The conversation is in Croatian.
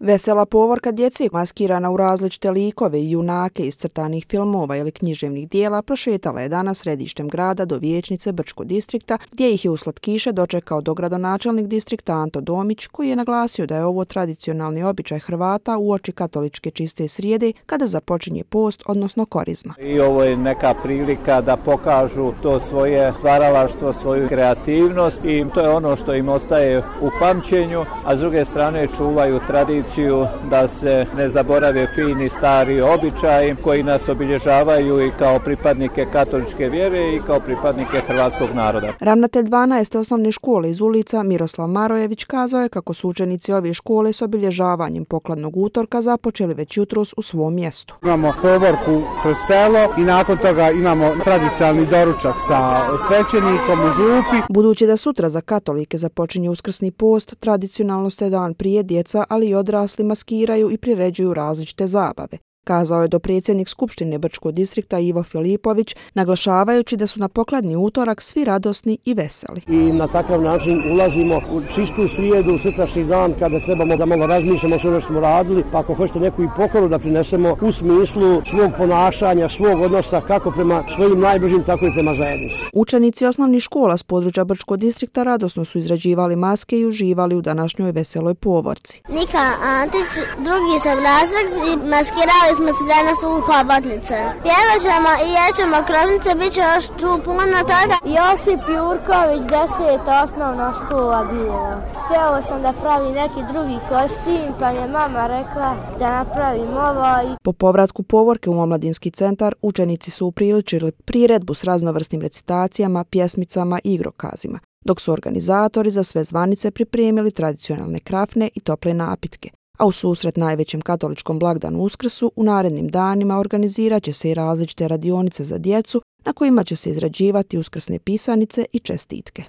Vesela povorka djece maskirana u različite likove i junake iz crtanih filmova ili književnih dijela prošetala je danas središtem grada do vijećnice Brčkog distrikta, gdje ih je u slatkiše dočekao dogradonačelnik distrikta Anto Domić, koji je naglasio da je ovo tradicionalni običaj Hrvata uoči katoličke čiste srijede kada započinje post, odnosno korizma. I ovo je neka prilika da pokažu to svoje stvaralaštvo, svoju kreativnost i to je ono što im ostaje u pamćenju, a s druge strane čuvaju tradiciju da se ne zaborave fini stari običaji koji nas obilježavaju i kao pripadnike katoličke vjere i kao pripadnike hrvatskog naroda. Ravnatelj 12. osnovne škole iz Ulica Miroslav Marojević kazao je kako su učenici ove škole s obilježavanjem pokladnog utorka započeli već jutros u svom mjestu. Imamo povorku kroz selo i nakon toga imamo tradicionalni doručak sa svećenikom u župi. Budući da sutra za katolike započinje uskrsni post, tradicionalno se dan prije djeca, ali i odrasli maskiraju i priređuju različite zabave, kazao je dopredsjednik Skupštine Brčkog distrikta Ivo Filipović, naglašavajući da su na pokladni utorak svi radosni i veseli. I na takav način ulazimo u čistu srijedu, sutrašnji dan kada trebamo da malo razmišljamo sve ono što smo radili, pa ako hoćete neku i pokoru da prinesemo u smislu svog ponašanja, svog odnosa kako prema svojim najbližim, tako i prema zajednici. Učenici osnovnih škola s područja Brčkog distrikta radosno su izrađivali maske i uživali u današnjoj veseloj povorci. Nika Antić, drugi sam razred i maskirali smo se danas u hobotnice. Pjevat ćemo i jećemo krovnice, bit će još tu puno toga. Josip Jurković, 10. osnovna škola bila. Htjela sam da pravi neki drugi kostim, pa je mama rekla da napravim ovaj. Po povratku povorke u omladinski centar, učenici su upriličili priredbu s raznovrsnim recitacijama, pjesmicama i igrokazima, dok su organizatori za sve zvanice pripremili tradicionalne krafne i tople napitke. A u susret najvećem katoličkom blagdanu Uskrsu u narednim danima organizirat će se i različite radionice za djecu na kojima će se izrađivati uskrsne pisanice i čestitke.